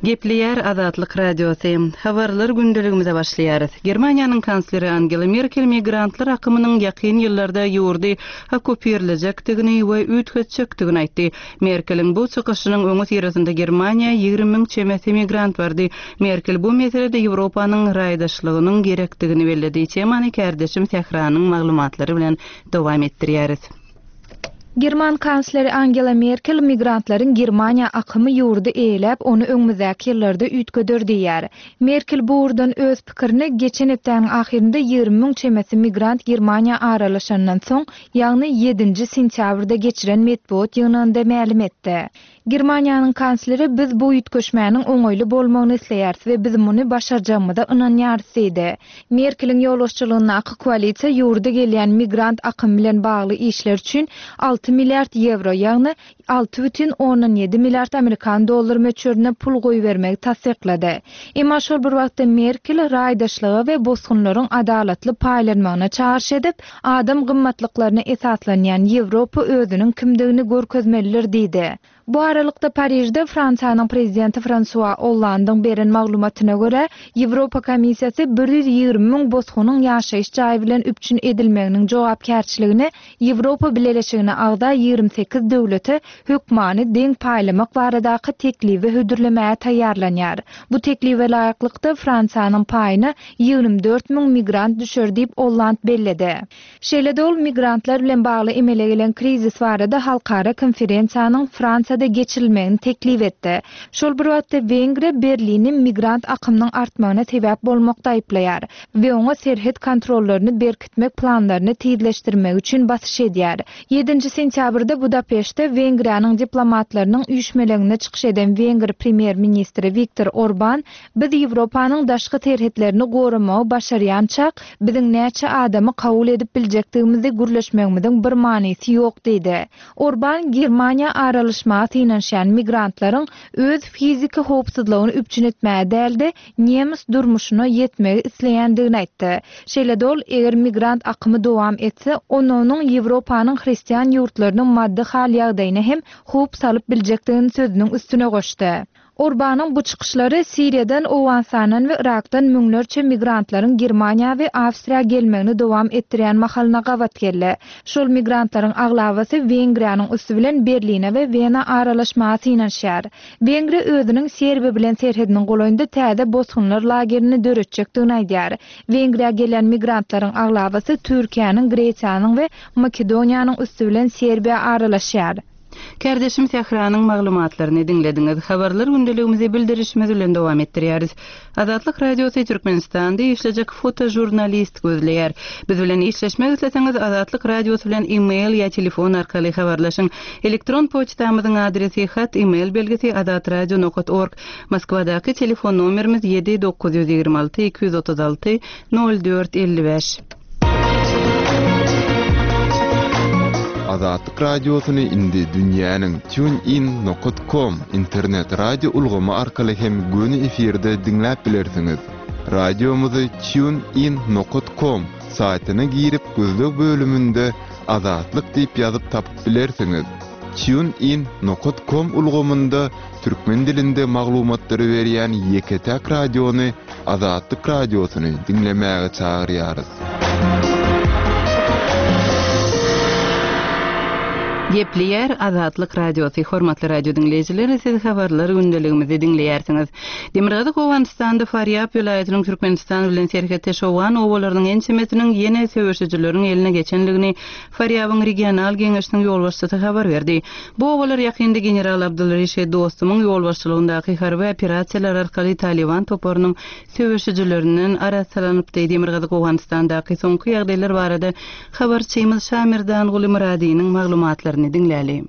Gepleýär Azatlyk Radiosy. Habarlar gündeligimize başlaýarys. Germaniýanyň kansleri Angela Merkel migrantlar akymynyň ýakyn ýyllarda ýurdy okkupirlejekdigini we üýtgetjekdigini aýtdy. Merkeliň bu çykyşynyň öňüsyrasynda Germaniýa 20 müň çemesi migrant bardy. Merkel bu meselede Ýewropanyň raýdaşlygynyň gerekdigini belledi. Temany kärdeşim Sähranyň maglumatlary bilen dowam etdirýäris. German kansleri Angela Merkel migrantlaryň Germaniýa akymy ýurdy eýeläp, ony öňümizdäki ýyllarda üýtgeder diýýär. Merkel bu ugurdan öz pikirini geçen hepdäniň ahyrynda 20 müň çemesi migrant Germaniýa aralaşandan soň, ýagny ýedinji sentýabrda geçiren metbugat ýygnagynda mälim etdi. Germaniýanyň kansleri biz bu üýtgeşmäniň oňaýly bolmagyny isleýäris we biz muny başarjagymyza ynanýarys diýdi. Merkeliň ýolbaşçylygyndaky koalisiýa ýurda gelýän migrant akymy bilen bagly işler üçin alty milliard ýewro, ýagny 6,7 milliard amerikan dollary möçberinde pul goýbermegi tassyklady. Emma şol bir wagtda Merkel raýdaşlyga we bosgunlaryň adalatly paýlanmagyna çagyryş edip, Adam gymmatlyklaryna esaslanýan Ýewropa özüniň kimdigini görkezmelidir diýdi. Bu aralykda Parižde Fransiýanyň prezidenti Fransua Ollandyň beren maglumatyna görä, Ýewropa Komissiýasy 120 müň bosgunyň ýaşaýyş jaýy bilen üpjün edilmeginiň jogapkärçiligini Ýewropa Bileleşigine agza 28 döwlete hökmany deň paýlamak baradaky teklibi hödürlemäge taýýarlanýar. Bu teklibe laýyklykda, Fransiýanyň paýyna 24 müň migrant düşer diýip, Olland belledi. Şeýle-de ol migrantlar bilen bagly emele gelen krizis barada halkara konferensiýanyň Fransiýada geçirilmegini teklip etdi. Şol bir wagtda Wengriýa Berlini migrant akymynyň artmagyna sebäp bolmakda aýyplaýar we oňa serhet kontrollaryny berkitmek planlaryny tizleşdirmegi üçin basyş edýär. Ýedinji sentýabrda Budapeştde Wengriýanyň diplomatlarynyň üýşmeleňinde çykyş eden wengr premýer-ministri Wiktor Orban Biz Ýewropanyň daşky serhetlerini goramagy başarýançak, biziň näçe adamy kabul edip biljekdigimizi gürleşmegimiziň bir manysy ýok diýdi. Orban Germaniýa aralaşmaga synanyşýan migrantlaryň öz fiziki howpsuzlygyny üpjün etmäge däl-de, nemes durmuşyna ýetmegi isleýändigini aýtdy. Şeýle-de ol, eger migrant akymy dowam etse, onda onuň Ýewropanyň hristian ýurtlarynyň maddy hal-ýagdaýyna hem howp salyp biljekdigini sözüniň üstüne goşdy. Orbanyň bu çykyşlary Siriýadan, Owganystandan we Yrakdan müňlerçe migrantlaryň Germaniýa we Awstriýa gelmegini dowam etdirýän mahalyna gabat geldi. Şol migrantlaryň aglabasy Wengriýanyň üsti bilen Berline we Wena aralaşmaga synanyşýar. Wengriýa özüniň Serbiýa bilen serhediniň golaýynda täze bosgunlar lagerini döretjekdigini aýdýar. Wengriýa gelýän migrantlaryň aglabasy Türkiýäniň, Gresiýanyň we Makedoniýanyň üsti bilen Serbiýa aralaşýar. Kärdeşim Sähranyň maglumatlaryny diňlediňiz. Habarlar gündeligimizi bildirişimiz bilen dowam etdirýäris. Azatlyk Radiosy Türkmenistanda işlejek fotožurnalist gözleýär. Biz bilen işleşmek isleseňiz Azatlyk Radiosy bilen e-mail ýa telefon arkaly habarlaşyň. Elektron poçtamyzyň adresi hat e-mail belgisi azatradio nokat org. Moskwadaky telefon nomerimiz 7 926 236 04 55. Azatlyk Radiosyny indi dünýäniň TuneIn nokat kom internet radio ulgamy arkaly hem göni efirde diňläp bilersiňiz. Radiomyzy TuneIn nokat kom saýtyna girip gözleg bölüminde Azatlyk diýip ýazyp tapyp bilersiňiz. TuneIn nokat kom ulgamynda türkmen dilinde maglumatlary berýän ýeke-täk radiony Azatlyk Radiosyny diňlemäge çagyrýarys. Gepleýär Azatlyk Radiosy, Hormatly radio diňleýjiler, siz habarlar gündeligimizi diňleýärsiňiz. Demirgazyk Owganystanda Farýab welaýatynyň Türkmenistan bilen serhetdeş owgan obalarynyň ençemesiniň ýene söweşijileriň eline geçenligini Farýabyň regional geňeşiniň ýolbaşçysy habar berdi. Bu obalar ýakynda general Abdulreşid Dostumyň ýolbaşçylygyndaky harby operasiýalar arkaly Talyban toparynyň söweşijilerinden arassalanypdy. Demirgazyk Owganystandaky soňky ýagdaýlar barada habarçymyz Şamerdanguly Myradynyň maglumatlaryny diňläli.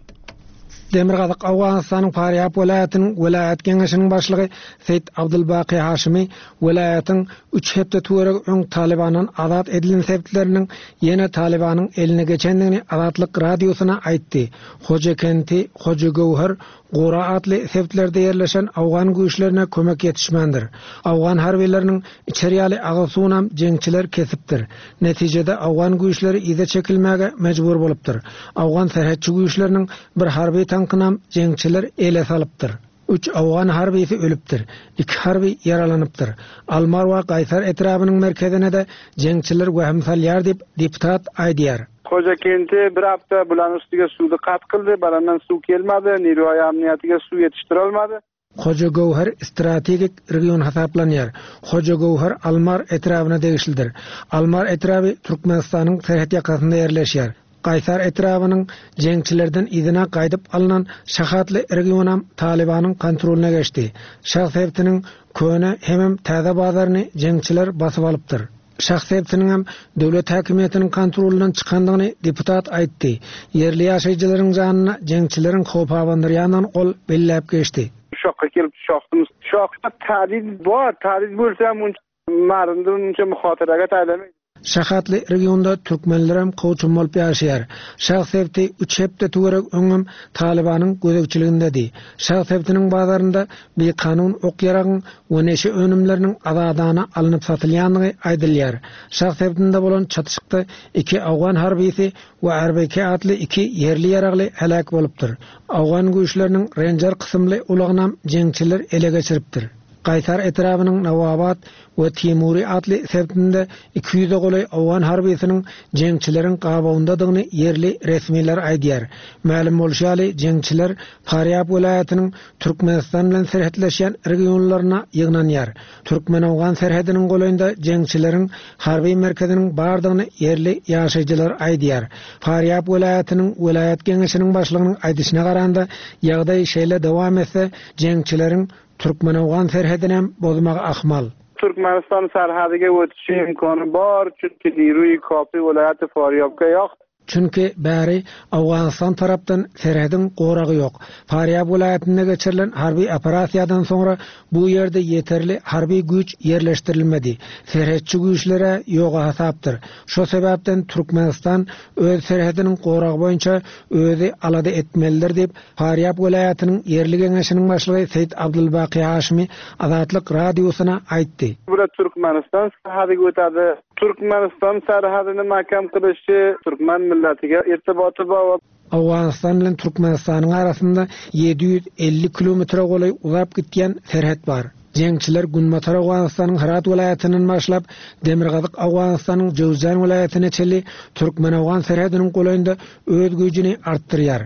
Demirgazyk Owganystanyň Farýab welaýatynyň welaýat geňeşiniň başlygy Seýit Abdulbaky Haşymy welaýatyň üç hepde töweregi öň Talybandan azat edilen sebitleriniň ýene Talybanyň eline geçendigini Azatlyk Radiosyna aýtdy. Hojakenti, Hojagöwher, Gora atly sebitlerde ýerleşen owgan güýçlerine kömek ýetişmändir. Owgan harbylarynyň içer ýaly agyz suwunam jeňçiler kesipdir. Netijede owgan güýçleri yza çekilmäge mejbur bolupdyr. Owgan serhetçi güýçleriniň bir harby tankynam jeňçiler ele salypdyr. Üç owgan harbysy ölüpdir, iki harby ýaralanypdyr. Almar we Gaýsar etrabynyň merkezine-de jeňçiler wehim salýar diýip, deputat aýdýar. Hojakenti bir hafta bularning ustiga suvni qat qildi, barandan suv kelmadi, Nirvoy amniyatiga suv yetishtirolmadi. Hojagöwher strategik region hasaplanýar. Hojagöwher Almar etrabyna degişlidir. Almar etraby Türkmenistanyň serhet ýakasynda ýerleşýär. Gaýsar etrabynyň jeňçilerden yzyna gaýdyp alnan Şah atly regionam Talybanyň kontrolyna geçdi. Şah sebitiniň köne hemem täze bazaryny jeňçiler basyp alypdyr. Şah sebitiniňem döwlet häkimiýetiniň kontrolyndan çykandygyny deputat aýtdy. Ýerli ýaşaýjylaryň janyna jeňçileriň howp abandyrýandygyny ol belläp geçdi. Şokga kelip şokdum. Şokda tadid bor, tadid bo'lsa ham uncha marinda uncha muhotiraga taylamaydi. Şah atly regionda türkmenlerem kowçum bolup ýaşaýar. Şah sebiti üç hepde töweregi öňem Talybanyň gözegçiligindedi. Şah sebitiniň bazarynda bikanun ok-ýaragyň we neşe önümleriniň azadana alnyp satylýandygy aýdylýar. Şah sebitinde bolan çatyşykda iki owgan harbysy we RBK atly iki ýerli ýaragly heläk bolupdyr. Owgan güýçleriniň Renjer kysymly ulagynam jeňçiler ele geçiripdir. Gaýsar etrabynyň Nawabat we Timuri atly sebitinde 200-e golaý owgan harbysynyň jeňçileriň gabawyndadygyny ýerli resmiler aýdýar. Mälim bolşy ýaly, jeňçiler Farýab welaýatynyň Türkmenistan bilen serhetleşýän regionlaryna ýygnanýar. Türkmen-owgan serhediniň golaýynda jeňçileriň harby merkeziniň bardygyny ýerli ýaşaýjylar aýdýar. Farýab welaýatynyň welaýat geňeşiniň başlygynyň aýdyşyna garanda, ýagdaý şeýle dowam etse, jeňçileriň türkmen-owgan serhedinem bozmagy ahmal. Türkmenistan serhediga o'tishi imkoni bor, chunki Nirui Kopi viloyati Faryobga yo'q. Çünki bäri Owganystan tarapdan serhediň goragy ýok. Farýab welaýatynda geçirilen harby operasiýadan soňra bu ýerde ýeterli harby güýç ýerleşdirilmedi. Serhetçi güýçler-ä ýoga hasapdyr. Şo sebäpden Türkmenistan öz serhediniň goragy boýunça özi alada etmelidir diýip, Farýab welaýatynyň ýerli geňeşiniň başlygy Seýit Abdulbaky Haşymy Azatlyk Radiosyna aýtdy. Bular Türkmenistan serhediga o'tadi. Türkmenistan serhedini mahkam qilishi turkman millatiga irtiboti bor. Owganystan bilen Türkmenistanyň arasynda 750 kilometre golaý uzap gitýän serhet bar. Jeňçiler Günbatar Owganystanyň Hyrat welaýatyndan başlap, Demirgazyk Owganystanyň Jöwzjan welaýatyna çenli türkmen-owgan serhediniň golaýynda öz güýjüni artdyrýar.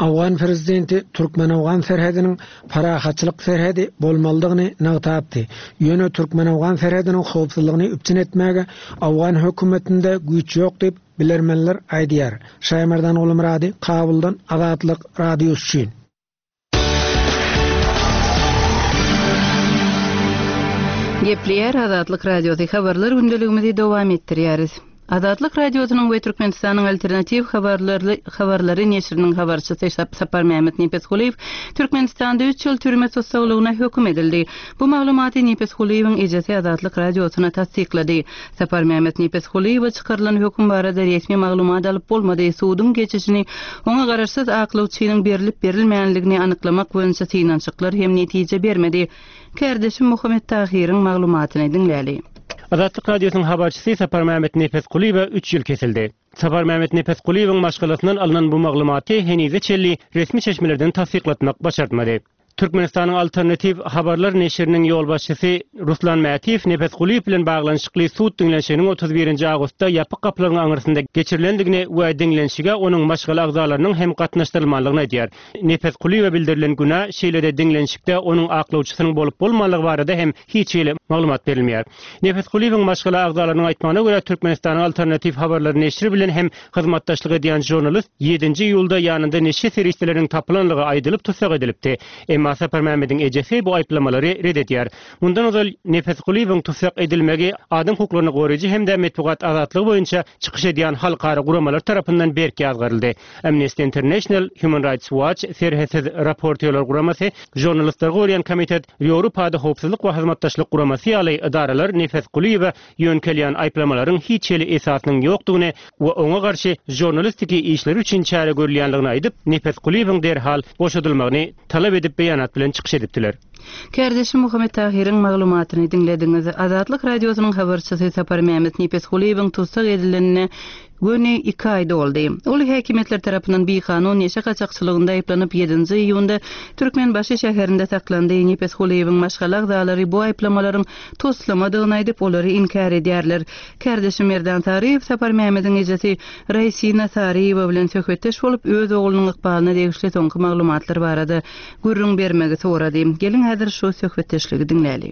Owgan prezidenti türkmen-owgan serhediniň parahatçylyk serhedi bolmalydygyny nygtapdy. Ýöne türkmen-owgan serhediniň howpsuzlygyny üpjün etmäge owgan hökümetinde güýç ýok diýip, bilermenler aýdýar. Şaýmerdan Gulmyrady, Kabuldan Azatlyk Radiosy üçin. Gepleýär Azatlyk Radiosy habarlar gündeligimizi dowam etdirýäris. Azatlyk Radiosynyň we Türkmenistanyň Alternatiw habarlary habarlary neşiriniň habarçysy Saparmämmet Nepesgulyýew Türkmenistanda üç ýyl türme tussaglygyna höküm edildi. Bu maglumaty Nepesgulyýewiň ejesi Azatlyk Radiosyna tassyklady. Saparmämmet Nepesgulyýewe çykarylan höküm barada resmi maglumat alyp bolmady, suduň geçişini oňa garaşsyz aklawçynyň berlip-berilmänligini anyklamak boýunça synanyşyklar hem netije bermedi. Kärdeşim Muhammet Tahyryň maglumatyny diňläli. Azatlyk Radiosynyň habarçysy Saparmämmet Nepesgulyýewe üç ýyl kesildi. Saparmämmet Nepesgulyýewiň maşgalasyndan alnan bu maglumaty henize çenli resmi çeşmelerden tassyklatmak başartmady. Türkmenistanyň Alternatiw habarlar neşiriniň ýolbaşçysy Ruslan Mätiýew Nepesgulyýew bilen baglanyşykly sud diňlenişiginiň 31-nji awgustda ýapyk gapylaryň aňyrsynda geçirilendigini we diňlenişige onuň maşgala agzalarynyň hem gatnaşdyrylmanlygyny aýdýar. Nepesgulyýewe bildirilen günä, şeýle-de diňlenişikde onuň aklawçysynyň bolup-bolmanlygy barada hem hiç hili maglumat berilmeýär. Nepesgulyýewiň maşgala agzalarynyň aýtmagyna görä, Türkmenistanyň Alternatiw habarlar neşiri bilen hem Hyzmatdaşlyk edýän žurnalist ýedinji iýulda ýanynda neşe serişdeleriniň tapylanlygy aýdylyp tussag edilipdi. Emma Saparmämmediň ejesi bu aýyplamalary ret edýär. Mundan ozal Nepesgulyýewiň tussag edilmegi adam hukuklaryny goraýjy hem-de metbugat azatlygy boýunça çykyş edýän halkara guramalar tarapyndan berk ýazgaryldy. Amnesty International, Human Rights Watch, Serhetsiz raportýorlar guramasy, Žurnalistleri goraýan komitet, Ýewropada howpsuzlyk we hyzmatdaşlyk guramasy ýaly edaralar Nepesgulyýewe ýöňkelýän aýyplamalaryň hiç hili esasynyň ýokdugyny we oňa garşy žurnalistiki işleri üçin çäre görülýänligini aýdyp, Nepesgulyýewiň derhal boşadylmagyny talap edip beýanat bilen çykyş edipdiler. Kärdeşim Muhammet Tahyryň maglumatyny diňlediňiz. Azatlyk Radiosynyň habarçysy Saparmämmet Nepesgulyýewiň tussag edilenine göni iki aý doldy. Ol häkimiýetler tarapyndan bikanun neşe gaçakçylygynda aýyplanyp, ýedinji iýunda Türkmenbaşy şäherinde saklandy. Nepesgulyýewiň maşgala agzalary bu aýyplamalaryň toslamadygyny aýdyp, olary inkär edýärler. Kärdeşim Merdan Saryýew Saparmämmediň ejesi Raýsina Saryýewa bilen söhbetdeş bolup, öz oglunyň ykbalyna degişli soňky maglumatlar barada gürrüň bermegi sorady. Geliň häzir şu söhbetdeşligi diňläli.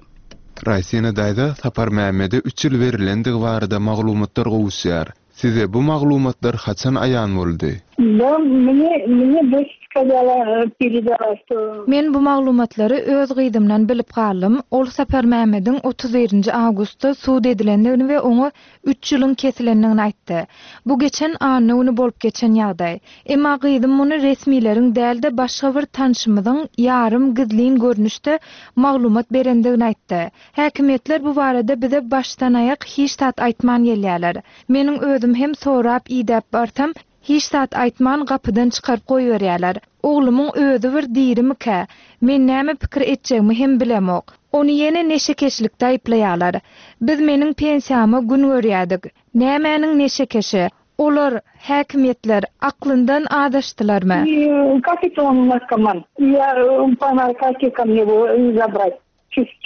Raýsina daýza Saparmämmede üç ýyl berilendigi barada maglumatlar gowuşýar. Size bu maglumatlar haçan aýan boldy? Da, mne, mne doç skazala, peredala, şto. Men bu maglumatlary öz gyzymdan bilip galdym. Ol Saparmämmediň 31 nji awgustda sud edilendigini we oňa üç ýylyň kesilendigini aýtdy. Bu geçen anna güni bolup geçen ýagdaý. Emma gyzym muny resmileriň däl-de başga bir tanşymyzyň ýarym gizlin görnüşde maglumat berendigini aýtdy. Häkimiýetler bu barada bize başdan-aýak hiç zat aýtman gelýärler. Meniň özüm hem sorap-idäp barsam, hiç zat aýtman gapydan çykaryp goýberýärler. Oglumyň özi bir dirimikä? Men näme pikir etjegimi hem bilemok. Ony ýene neşekeşlikde aýyplaýarlar. Biz meniň pensiýama gün görýärdik. Nämäniň neşekeşi? Olar, häkimiýetler, aklyndan azaşdylarmy? Как это он наркоман? Я по наркотикам его забрать.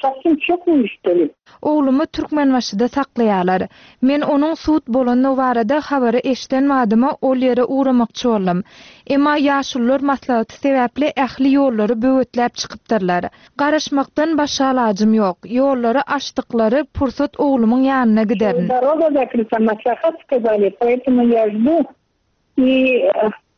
Совсем чокнулись что ли? Oglumy Türkmenbaşyda saklaýarlar. Men onuň sud bolandygy barada habary eşiden badyma ol ýere ugramakçy boldum. Emma ýaşulular maslahaty sebäpli ähli ýollary böwetläp çykypdyrlar. Garaşmakdan başga alajym ýok. Ýollary açdyklary pursat oglumyň ýanyna giderin. Doroga zakryta, maslahat skazali, poetomu ýa ždu i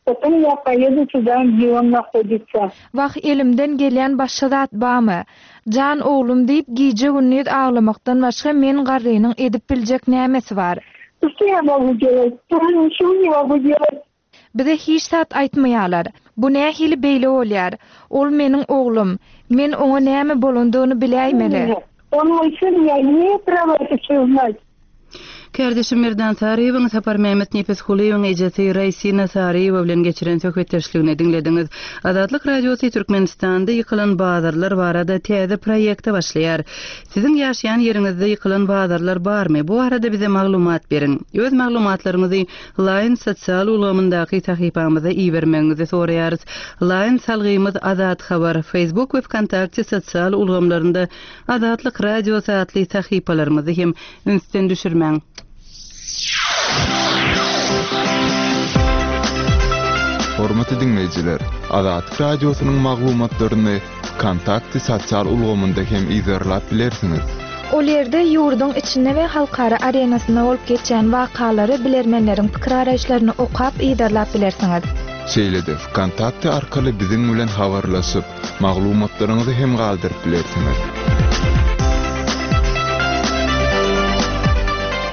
potom ýa poýedu tuda, gde on nahoditsa. Wah, elimden gelýän başga zat bamy? Jan oglum diýip gije-gündiz aglamakdan başga men garrynyň edip biljek nämesi bar? Što ýa mogu delat? Тоже niçego ne mogu delat. Bize hiç zat aýtmaýarlar. Bu nähili beýle bolýar? Ol meniň oglum. Men oňa näme bolandygyny biläýmeli. On moý syn, ýa imeýu prawa eto wsýo uznat. Kärdeşim Merdan Saryýewiň Saparmämmet Nepesgulyýewiň ejesi Raýsina Saryýewa bilen geçiren söhbetdeşligini diňlediňiz. Azatlyk Radiosy Türkmenistanda ýykylan bazarlar barada täze proýekte başlaýar. Siziň ýaşaýan ýeriňizde ýykylan bazarlar barmy? Bu barada bize maglumat beriň. Öz maglumatlaryňyzy Line sosial ulgamyndaky sahypamyza ibermegiňizi soraýarys. Line salgymyz Azat Habar, Facebook we Wkontakte sosial ulgamlarynda Azatlyk Radiosy atly sahypalarymyzy hem ünsden düşürmäň. Hormatly diňleýjiler, Azatlyk Radiosynyň maglumatlaryny Wkontakte sosial ulgamynda hem yzarlap bilersiňiz. Ol ýerde ýurduň içinde we halkara arenasynda bolup geçýän wakalary, bilermenleriň pikir-garaýyşlaryny okap, yzarlap bilersiňiz. Şeýle-de Wkontakte arkaly biziň bilen habarlaşyp, maglumatlaryňyzy hem galdyryp bilersiňiz.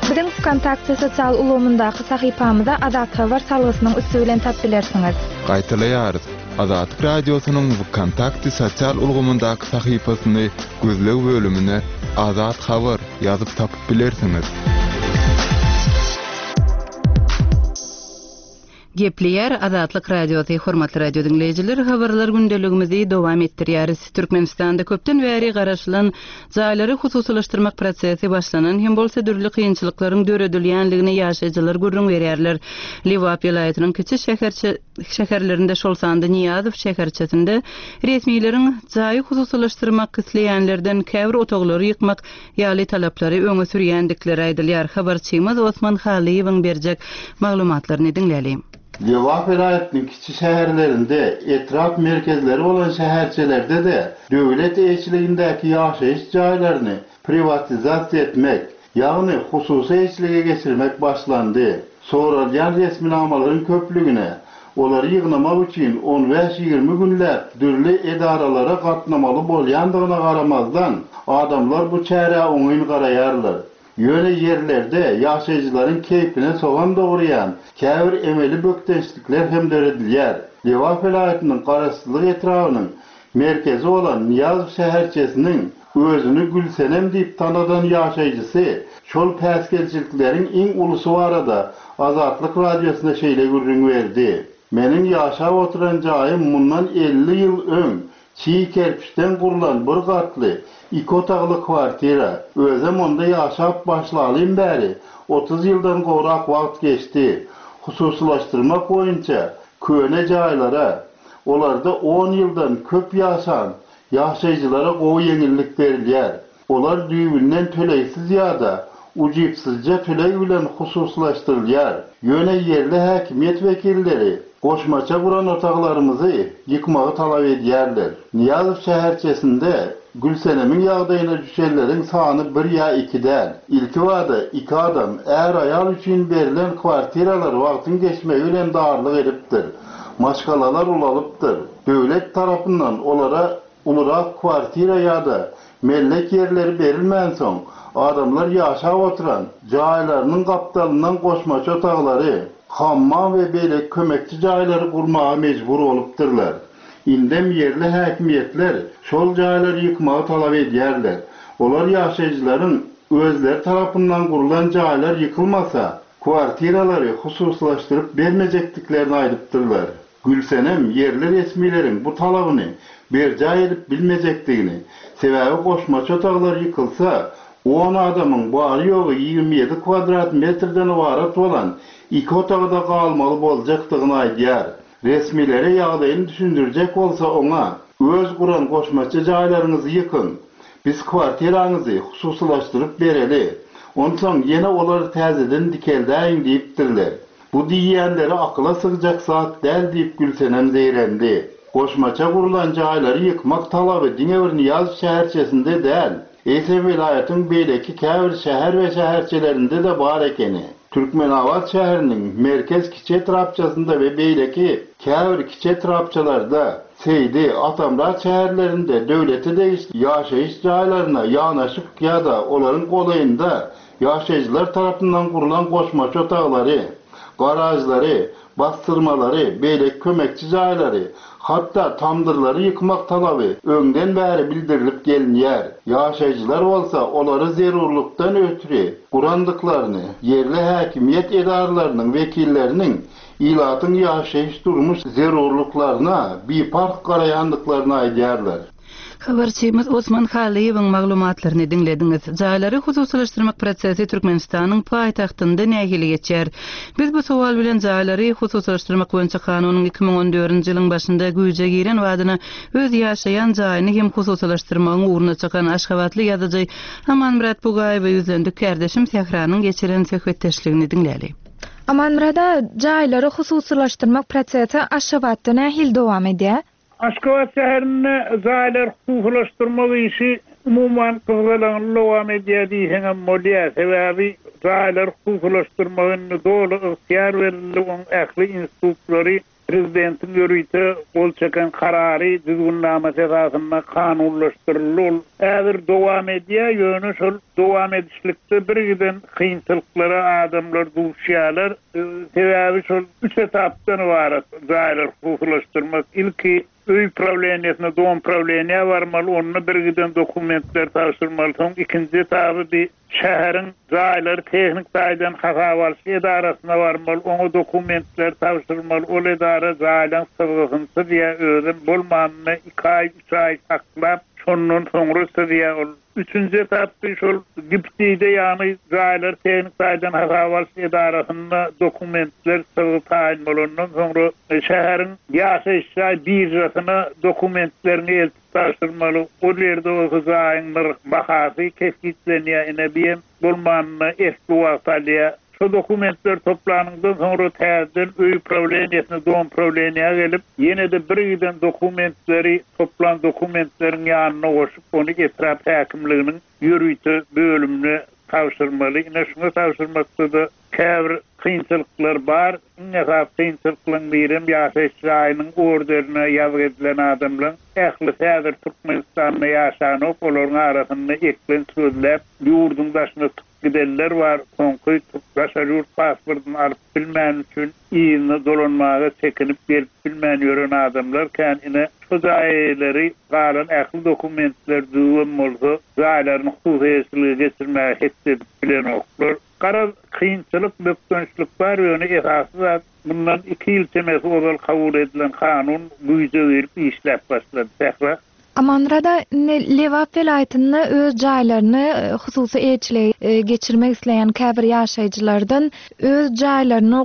Biziň Wkontakte sosial ulgamyndaky sahypamyza Azathabar salgysynyň üsti bilen tap bilersiňiz. Gaýtalaýarys, Azatlyk Radiosynyň Wkontakte sosial ulgamyndaky sahypasyny gözleg bölümine Azat Habar ýazyp tapyp bilersiňiz. Gepleýär Azatlyk Radiosy, Hormatly radio diňleýjiler, habarlar gündeligimizi dowam etdirýäris. Türkmenistanda köpden bäri garaşylan jaýlary hususylaşdyrmak prosesi başlanan hem bolsa dürli kynçylyklaryň döredilýänligini ýaşaýjylar gürrüň berýärler. Lebap welaýatynyň kiçi şäherçe şäherlerinde, şol sanda Nyýazow şäherçesinde resmileriň jaýy hususylaşdyrmak isleýänlerden käbir otaglary ýykmak ýaly talaplary öňe sürýändikleri aýdylýar. Habarçymyz Osman Hallyýewiň berjek maglumatlaryny diňläliň. Lebap welaýatynyň kiçi şäherlerinde, etrap merkezleri bolan şäherçelerde-de döwlet eýeçiligindäki ýaşaýyş jaýlaryny priwatizasiýa etmek, ýagny hususy eýeçilige geçirmek başlandy. Soralýan resminamalaryň köplügine, olary ýygnamak üçin on bäş-ýigrimi günläp dürli edaralara gatnamaly bolýandygyna garamazdan, adamlar bu çärä oňyn garaýarlar. Ýöne ýerlerde ýaşaýjylaryň keýpine sogan dogurýan käbir emeli bökdençlikler hem döredilýär. Lebap welaýatynyň Garaşsyzlyk etrabynyň merkezi bolan Nyýazow şäherçesiniň özüni Gülsenem diýip tanadan ýaşaýjysy şol päsgelçilikleriň iň ulusy barada Azatlyk Radiosyna şeýle gürrüň berdi, Meniň ýaşap oturan jaýym mundan 50 ýyl öň. Çig kerpiçden gurlan bir gatly, iki otagly kwartira. Özem onda ýaşap başlalym bäri 30 ýyldan gowrak wagt geçdi. Hususylaşdyrmak boýunça köne jaýlara, olarda on ýyldan köp ýaşan ýaşaýjylara gowy ýeňillik berilýär. Olar düýbünden tölegsiz ýa-da ujypsyzja töleg bilen hususylaşdyrylýar. Ýöne ýerli häkimiýet wekilleri goşmaça guran otaglarymyzy ýykmagy talap edýärler. Nyýazow şäherçesinde Gülsenemiň ýagdaýyna düşenleriň sany bir ýa iki däl. Ilkibada iki adam, är-aýal üçin berlen kwartiralar wagtyň geçmegi bilen darlyk edipdir. Maşgalalar ulalypdyr. Döwlet tarapyndan olara Ulurak kwartira ýa-da mellek ýerleri berilmänsoň, adamlar ýaşap oturan jaýlarynyň gapdalyndan goşmaça otaglary, hammam we beýleki kömekçi jaýlary gurmaga mejbur bolupdyrlar. Indem ýerli häkimiýetler şol jaýlary ýykmagy talap edýärler. Olar ýaşaýjylaryň özleri tarapyndan gurlan jaýlar ýykylmasa, kwartiralary hususylaşdyryp bermejekdiklerini aýdypdyrlar. Gülsenem ýerli resmileriň bu talabyny berjaý edip bilmejekdigini, sebäbi goşmaça otaglar ýykylsa, on adamyň bary-ýogy 27 kwadrat metrden ybarat bolan iki otagda galmaly boljakdygyny aýdýar. Resmilere ýagdaýyny düşündirjek bolsa oňa, Öz guran goşmaça jaýlaryňyzy ýykyň, biz kwartiraňyzy hususylaşdyryp bereli, onsoň ýene olary täzeden dikeldäýiň diýipdirler. Bu diýýänleri akyla sygjak zat däl diýip Gülsenem zeýrendi. Goşmaça gurlan jaýlary ýykmak talaby diňe bir Nyýazow şäherçesinde däl, eýsem welaýatyň beýleki käbir şäher we şäherçelerinde-de bar ekeni. Türkmenabat şäheriniň Merkez kiçi etrapçasynda we beýleki käbir kiçi etrapçalarda, Seýdi, Atamyrat şäherlerinde döwlete degişli ýaşaýyş jaýlaryna ýanaşyk ýa-da olaryň golaýynda Ýaşaýjylar tarapyndan gurlan goşmaça otaglary, garažlary, bassyrmalary, beýleki kömekçi jaýlary, hatda tamdyrlary ýykmak talaby öňden bäri bildirilip gelinýär. Ýaşaýjylar bolsa olary zerurlykdan ötri gurandyklaryny, ýerli häkimiýet edaralarynyň wekilleriniň ilatyň ýaşaýyş-durmuş zerurlyklaryna biparh garaýandyklaryny aýdýarlar. Habarçymyz Osman Hallyýewiň maglumatlaryny diňlediňiz. Jaýlary hususylaşdyrmak prosesi Türkmenistanyň paýtagtynda nähili geçýär? Biz bu sowal bilen jaýlary hususylaşdyrmak boýunça kanunyň 2014-nji ýylyň başynda güýje giren badyna öz ýaşaýan jaýyny hem hususylaşdyrmagyň ugruna çykan aşgabatly ýazyjy Amanmyrat Bugaýewe ýüzlendik. Kärdeşim Sähranyň geçiren söhbetdeşligini diňläli. Amanmyrat aga, jaýlary hususylaşdyrmak prosesi Aşgabatda nähili dowam edýär? Aşgabat şäherinde jaýlary hususylaşdyrmak işi umuman gyzgalaňly dowam edýär diýseňem bolýar. Sebäbi jaýlary hususylaşdyrmaga indi doly ygtyýar berildi, oň ähli institutlary prezidentiň ýörite gol çeken karary, düzgünnamasy esasynda kanunlaşdyryldy. Ol häzir dowam edýär, ýöne şol dowam edişlikde birgiden kynçylyklara adamlar duşýarlar. Sebäbi şol üç etapdan ybarat jaýlary hususylaşdyrmak. Ilki öý prawleniýesine, dom prawleniýä barmaly, onda birgiden dokumentleri tabşyrmaly. Soň ikinji etaby bi şäheriň jaýlary tehnik taýdan hasaba alyş edarasyna barmaly, oňa dokumentleri tabşyrmaly. Ol edara jaýlaryň çyzgysyny çyzýar, özem bolmanynda iki aý, üç aý saklap, şondan soňra çyzýar ol. Üçünji etapda şol GIPDI-de ýagny jaýlary tehnik taýdan hasaba alyş edarasynda dokumentler çyzgy taýyn bolandan soňra şäheriň ýaşaýyş jaý biržasyna dokumentleriňi eltip tabşyrmaly. Ol ýerde bolsa jaýyň nyrh bahasy kesgitlenýär. Ine bi hem bolmanynda esli wagt alýar. Şo dokumentleri toplanyňdan soňra täzeden öý prawleniýesine, dom prawleniýä gelip, ýene-de birgiden dokumentleri toplan dokumentleriň ýanyna goşup, ony etrap häkimliginiň ýörite bölümine tabşyrmaly. Ine, şuňa tabşyrmakda-da käbir kynçylyklar bar. Iň esasy kynçylyklaryň birem ýaşaýyş jaýynyň orderine ýazgy edilen adamlaryň ählisi häzir Türkmenistanda ýaşanok, olaryň arasynda eklenç gözläp, ýurduň daşyna Gidenler bar, soňky daşary ýurt pasportyny alyp bilmäni üçin yzyna dolanmaga çekinip gelip bilmän ýören adamlar kän, ine şo jaý eýeleri galan ähli dokumentler düzüwem bolsa jaýlaryny hususy eýeçilige geçirmäge hetdi edip bilenoklar. Garaz kynçylyk, bökdençlik bar ýöne esasy zat. Mundan iki ýyl çemesi ozal kabul edilen kanun güýje girip işläp başlady. Sähra. Amanmyrada indi Lebap welaýatynda öz jaýlaryny hususy eýeçilige geçirmek isleýän käbir ýaşaýjylardan öz jaýlaryny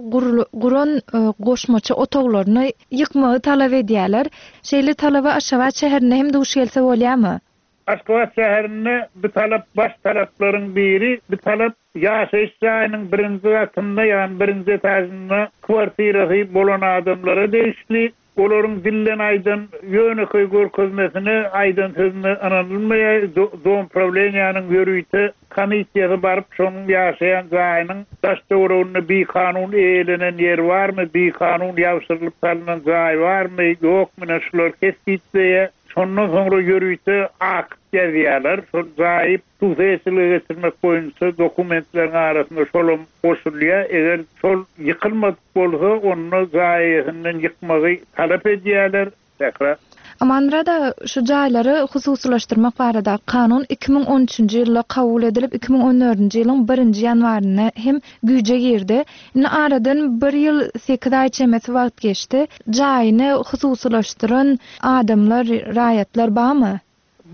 guran goşmaça otaglaryny ýykmagy talap edýärler. Şeýle talaba Aşgabat şäherinde hem duş gelse bolýarmy? Aşgabat şäherinde bu talap baş talaplaryň biri. Bu talap ýaşaýyş jaýynyň birinji gatynda, ýagny birinji etažynda kwartirasy bolan adamlara degişli. Olaryň dilden aýdan ýönekeý görkezmesine, aýdan sözüne ynanylmaýar. Domprawleniýäniň ýörite komissiýasy baryp, şonuň ýaşaýan jaýynyň daş-töwereginde bikanun eýelenen ýer barmy, bikanun ýabşyrylyp salnan jaý barmy, ýokmy, ine şulary kesgitleýär. Şondan soňra ýörite akt ýazýarlar. Şol jaýy hususyýetçilige geçirmek boýunça dokumentleriň arasynda şolam goşulýar. Eger şol ýykylmadyk bolsa, onda jaý eýesinden ýykmagy talap edýärler. Sähra. Amanmyrat aga, şu jaýlary hususylaşdyrmak baradaky kanun 2013-nji ýylda kabul edilip, 2014-nji ýylyň birinji ýanwarynda hem güýje girdi. Indi aradan bir ýyl sekiz aý çemesi wagt geçdi. Jaýyny hususylaşdyran adamlar, raýatlar barmy?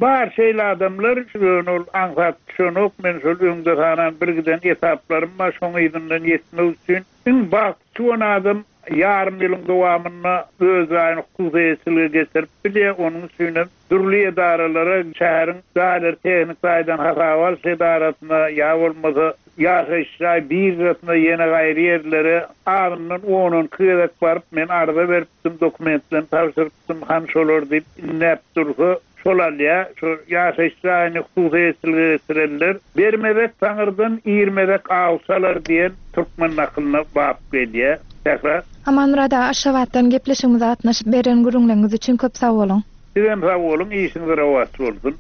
Bar şeýle adamlar, ýöne ol aňsat düşenok, men şol öňde sanan birgiden etaplarym bar, şoň yzyndan ýetmek üçin iň bagty çüwen adam ýarym ýylyň dowamynda öz jaýyny hususy eýeçilige geçirip bilýär, onuň üçinem dürli edaralara, şäheriň jaýlary tehniki taýdan hasaba alyş edarasyna ýa bolmasa ýaşaýyş jaý biržasyna ýene gaýry ýerlere azyndan on-on iki gezek baryp men arza beripdim, dokumentlerimi tabşyrypdym, hany şolar diýip indäp dursa, şol alýar. Şo ýaşaýyş jaýyny hususy eýeçilige geçirenler Bermezek taňyrdan, irmezek aw çalar diýen türkmen nakylyna bap gelýär. Sähra. Amanmyrat aga Aşgabatdan gepleşigimize gatnaşyp beren gürrüňleriňiz üçin köp sag boluň. Sizem sag boluň, işiňiz rowaç bolsun.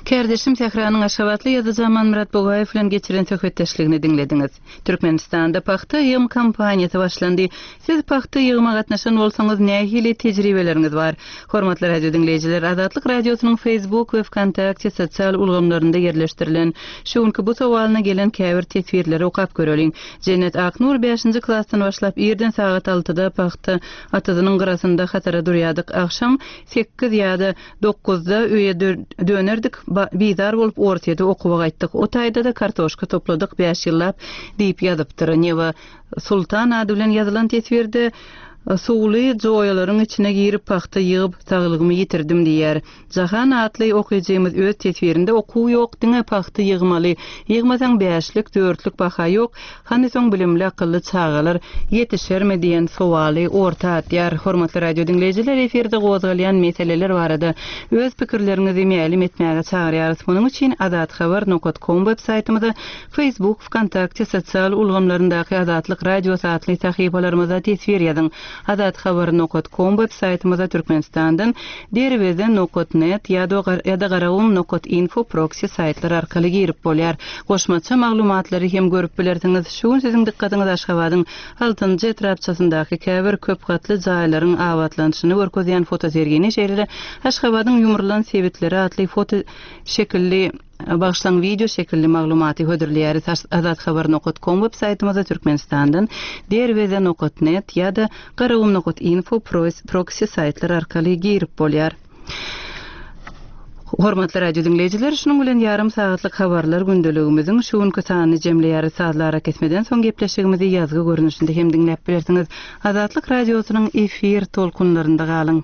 Kärdeşim Sähranyň aşgabatly ýazyjy Amanmyrat Bugaýew bilen geçiren söhbetdeşligini diňlediňiz. Türkmenistanda pagta ýygym kampaniýasy başlandy. Siz pagta ýygyma gatnaşan bolsaňyz nähili tejribeleriňiz bar? Hormatly radio diňleýjiler, Azatlyk Radiosynyň Facebook we Wkontakte sosial ulgamlarynda ýerleşdirilen şu günki bu sowalyna gelen käbir teswirleri okap göreliň. Jennet Aknur bäşinji klasdan başlap irden sagat altyda pagta Atyzynyň gyrasynda hatara durýadyk. Agşam sekiz ýa-da dokuzda öýe dönerdik. Bizar bolup Orsýete okuwa gaýtdyk. O taýda-da kartoşka topladyk bäş ýyllap diýip ýazypdyr. Neva Sultan ady bilen ýazylan teswirde Suwly joýalaryň içine girip pagta ýygyp saglygymy ýitirdim diýýär. Jahan atly okyjymyz öz teswirinde okuw ýok diňe pagta ýygmaly, ýygmasaň bäşlik, dörtlük baha ýok, hany soň bilimli akylly çagalar ýetişermi diýen sowaly orta atýar. Hormatly radio diňleýjiler efirde gozgalýan meseleler barada öz pikirleriňizi mälim etmäge çagyrýarys. Munuň üçin azathabar nokat kom web saýtymyza, Facebook, Wkontakte sosial ulgamlaryndaky Azatlyk Radiosy atly sahypalarymyza teswir ýazyň. Azathabar nokat kom web saýtymyza Türkmenistandan Derweze nokat net ýa-da Garagum nokat info proksi saýtlar arkaly girip bolýar. Goşmaça maglumatlary hem görüp bilersiňiz. Şu gün siziň dykgatyňyzy Aşgabadyň Altynjy etrapçasyndaky käbir köp gatly jaýlaryň abatlanyşyny görkezýän fotosergini, şeýle-de Aşgabadyň ýumrulan sebitleri atly foto şekilli Bagyşlaň wideo şekilli maglumaty hödürleýäris Azathabar nokat kom web saýtymyzda Türkmenistandan Derweze nokat net ýa-da Garagum nokat info proksi saýtlar arkaly girip bolýar. Hormatly radio diňleýjiler, şunuň bilen ýarym sagatlyk habarlar gündeligimiziň şu günki sanyny jemleýäris. Sazly arakesmeden soň gepleşigimizi ýazgy görnüşinde hem diňläp bilersiňiz. Azatlyk Radiosynyň efir tolkunlarynda galyň.